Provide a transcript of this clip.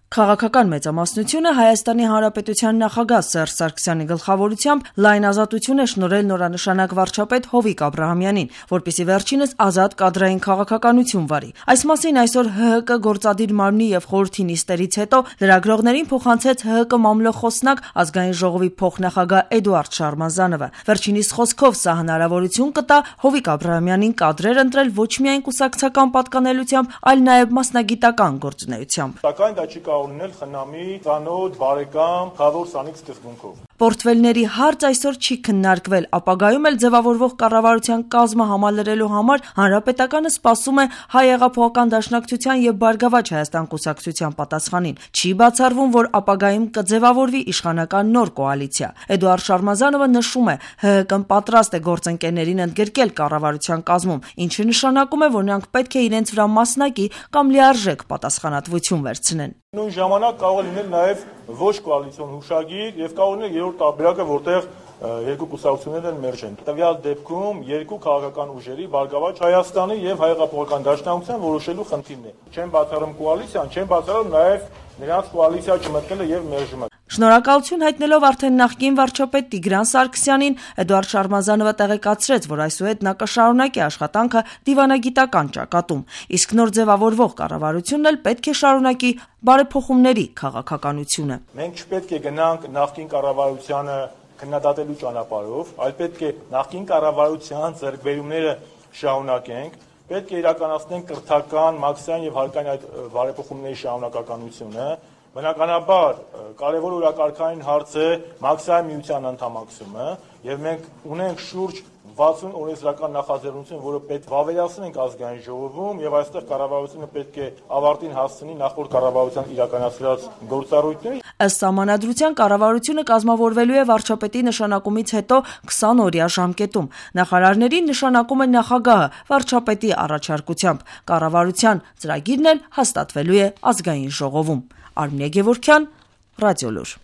Քաղաքական մեծամասնությունը Հայաստանի Հանրապետության նախագահ Սերժ Սարգսյանի գլխավորությամբ լայն ազատություն է շնորհել նորանշանակ վարչապետ Հովիկ Աբրահամյանին, որպեսզի վերջինս ազատ կադրային քաղաքականություն վարի։ Այս մասին այսօր ՀՀԿ գործադիր մարմնի եւ խորհրդի նիստերից հետո լրագրողներին փոխանցեց ՀՀԿ մամլո խոսնակ Ազգային ժողովի փոխնախագահ Էդուարդ Շարմազանովը։ Վերջինիս խոսքով սա հնարավորություն կտա Հովիկ Աբրահամյանին կադրեր ընտրել ոչ միայն կուսակցական պատկանելությամբ, այլ նաեւ մասնագիտական գործունեությամբ։ Սակայն դա չի ունել խնամի, ծանոթ, բարեկամ, խավոր սանիկ սկզբունքով։ Պորտֆելների հարց այսօր չի քննարկվել, ապագայում էլ ձևավորվող կառավարության կազմը համալրելու համար Հանրապետականը սպասում է Հայ հեղափոխական դաշնակցության եւ Բարգավաճ Հայաստան կուսակցության պատասխանին։ Չի բացառվում, որ ապագայում կձևավորվի իշխանական նոր կոալիցիա։ Էդուարդ Շարմազանովը նշում է, ՀՀԿ-ն պատրաստ է գործընկերներին ընդգրկել կառավարության կազմում, ինչը նշանակում է, որ նրանք պետք է իրենց վրա մասնակի կամ լիարժեք պատասխանատվություն վերցնեն։ Նույն ժամանակ կարող է լինել նաև ոչ կոալիցիոն հուշագիր եւ կարող լինել երրորդ տարբերակը, որտեղ երկու կուսակցություններ են մերժեն։ Տվյալ դեպքում երկու քաղաքական ուժերի Բարգավաճ Հայաստանի եւ Հայ հեղափոխական դաշնակցության որոշելու խնդիրն է։ Չեն բացառում կոալիցիան, չեն բացառում նաև նրանց կոալիցիա չմտնելը եւ մերժումը։ Շնորհակալություն հայտնելով արդեն նախկին վարչապետ Տիգրան Սարգսյանին, Էդուարդ Շարմազանովը տեղեկացրեց, որ այսուհետ նա կշարունակի աշխատանքը դիվանագիտական ճակատում, իսկ նոր ձևավորվող կառավարությունն էլ պետք է շարունակի բարեփոխումների քաղաքականությունը։ Մենք չպետք է գնանք նախկին կառավարությանը քննադատելու ճանապարհով, այլ պետք է նախկին կառավարության ձեռքբերումները շարունակենք, պետք է իրականացնենք կրթական, մաքսային եւ հարկային այդ բարեփոխումների շարունակականությունը։ Բնականաբար կարևոր օրակարգային հարց է մաքսային միության անդամակցումը եւ մենք ունենք շուրջ 60 օրենսդրական նախաձեռնություն, որը պետք վավերացնենք ազգային ժողովում եւ այստեղ կառավարությունը պետք է ավարտին հասցնի նախորդ կառավարության իրականացրած գործառույթները։ Ըստ սահմանադրության կառավարությունը կազմավորվելու է վարչապետի նշանակումից հետո 20-օրյա ժամկետում։ Նախարարներին նշանակում է նախագահը վարչապետի առաջարկությամբ։ Կառավարության ծրագիրն էլ հաստատվելու է ազգային ժողովում։ Արմինե Գևորգյան, Ռադիոլուր։